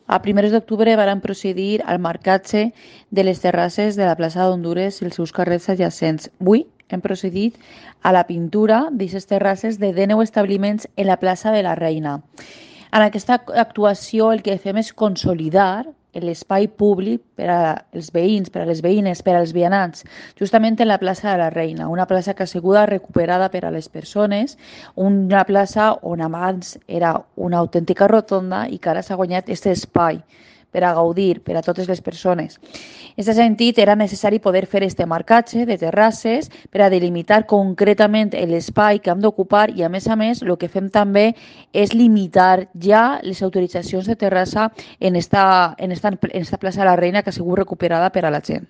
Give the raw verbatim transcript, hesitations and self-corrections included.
A primers d'octubre varen procedir al marcatge de les terrasses de la plaça d'Hondures i els seus carrers adjacents. Avui hem procedit a la pintura d'aquestes terrasses de dènou establiments en la plaça de la Reina. En aquesta actuació el que fem és consolidar l'espai públic per als veïns, per a les veïnes, per als vianants, justament en la plaça de la Reina, una plaça que ha sigut recuperada per a les persones, una plaça on abans era una autèntica rotonda i que ara s'ha guanyat aquest espai per a gaudir per a totes les persones. En aquest sentit, era necessari poder fer este marcatge de terrasses per a delimitar concretament l'espai que hem d'ocupar i, a més a més, el que fem també és limitar ja les autoritzacions de terrassa en esta, en esta, en esta plaça de la Reina que ha sigut recuperada per a la gent.